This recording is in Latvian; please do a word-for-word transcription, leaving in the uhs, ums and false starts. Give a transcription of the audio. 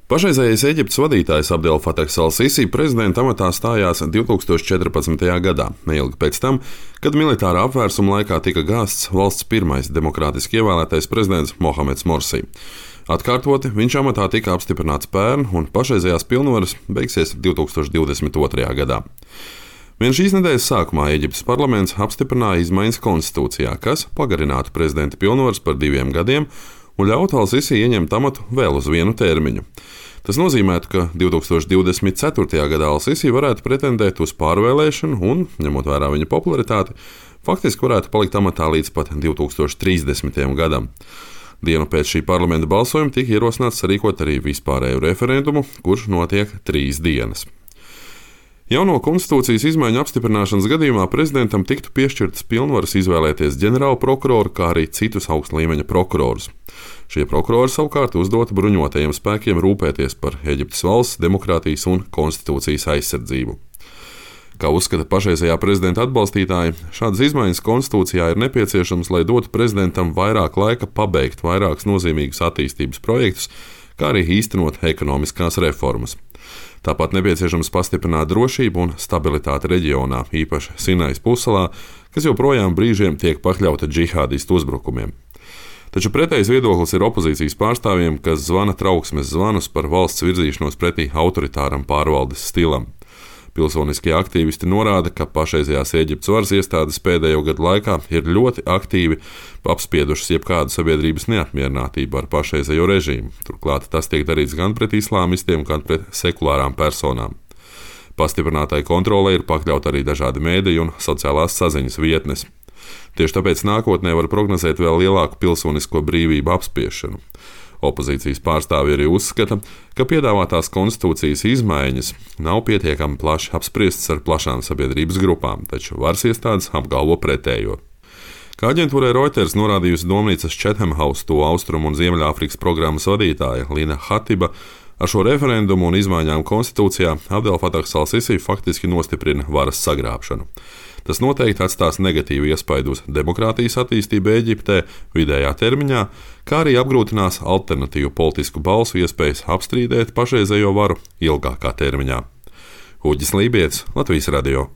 Pašreizējais Eģiptes vadītājs Abdel Fatahs al-Sisi prezidenta amatā stājās divi tūkstoši četrpadsmitajā gadā, neilgi pēc tam, kad militārā apvērsuma laikā tika gāzts valsts pirmais demokrātiski ievēlētais prezidents Mohameds Morsi. Atkārtoti viņš amatā tika apstiprināts pērn, un pašreizējās pilnvaras beigsies divi tūkstoši divdesmit otrajā gadā. Vien šīs nedēļas sākumā Eģiptes parlaments apstiprināja izmaiņas konstitūcijā, kas pagarinātu prezidenta pilnvaras par diviem gadiem un ļautu al-Sisi ieņemt amatu vēl uz vienu termiņu. Tas nozīmētu, ka divi tūkstoši divdesmit ceturtajā gadā al-Sisi varētu pretendēt uz pārvēlēšanu un, ņemot vērā viņa popularitāti, faktiski varētu palikt amatā līdz pat divi tūkstoši trīsdesmitajam gadam. Dienu pēc šī parlamenta balsojuma tika ierosināts sarīkot arī vispārēju referendumu, kurš notiek trīs dienas. Jauno konstitūcijas izmaiņu apstiprināšanas gadījumā prezidentam tiktu piešķirtas pilnvaras izvēlēties ģenerālu prokuroru, kā arī citus augsta līmeņa prokurorus. Šie prokurori savukārt uzdota bruņotajiem spēkiem rūpēties par Eģiptes valsts, demokrātijas un konstitūcijas aizsardzību. Kā uzskata pašreizējā prezidenta atbalstītāji, šādas izmaiņas konstitūcijā ir nepieciešamas, lai dotu prezidentam vairāk laika pabeigt vairākus nozīmīgus attīstības projektus, kā arī īstenot ekonomiskās reformas. Tāpat nepieciešams pastiprināt drošību un stabilitāti reģionā, īpaši Sinais pussalā, kas joprojām brīžiem tiek pakļauta džihādistu uzbrukumiem. Taču pretējs viedoklis ir opozīcijas pārstāvjiem, kas zvana trauksmes zvanus par valsts virzīšanos pretī autoritāram pārvaldes stilam. Pilsoniskie aktīvisti norāda, ka pašreizējās Eģiptes varas iestādes pēdējo gadu laikā ir ļoti aktīvi apspiedušas jebkādu sabiedrības neapmierinātību ar pašreizējo režīmu. Turklāt tas tiek darīts gan pret islāmistiem, gan pret sekulārām personām. Pastiprinātai kontrolei ir pakļaut arī dažādi mēdīji un sociālās saziņas vietnes. Tieši tāpēc nākotnē var prognozēt vēl lielāku pilsonisko brīvību apspiešanu. Opozīcijas pārstāvji arī uzskata, ka piedāvātās konstitūcijas izmaiņas nav pietiekami plaši apspriestas ar plašām sabiedrības grupām, taču varas iestādes apgalvo pretējo. Kā aģentūrai Reuters norādījusi domnīcas Chatham House to Austrumu un Ziemeļāfrikas programmas vadītāja Lina Hatiba, ar šo referendumu un izmaiņām konstitūcijā Abdel Fatahs al-Sisi faktiski nostiprina varas sagrābšanu. Tas noteikti atstās negatīvu iespaidu uz demokrātijas attīstību Eģiptē vidējā termiņā, kā arī apgrūtinās alternatīvu politisku balsu iespējas apstrīdēt pašreizējo varu ilgākā termiņā. Uģis Lībijams, Latvijas radio.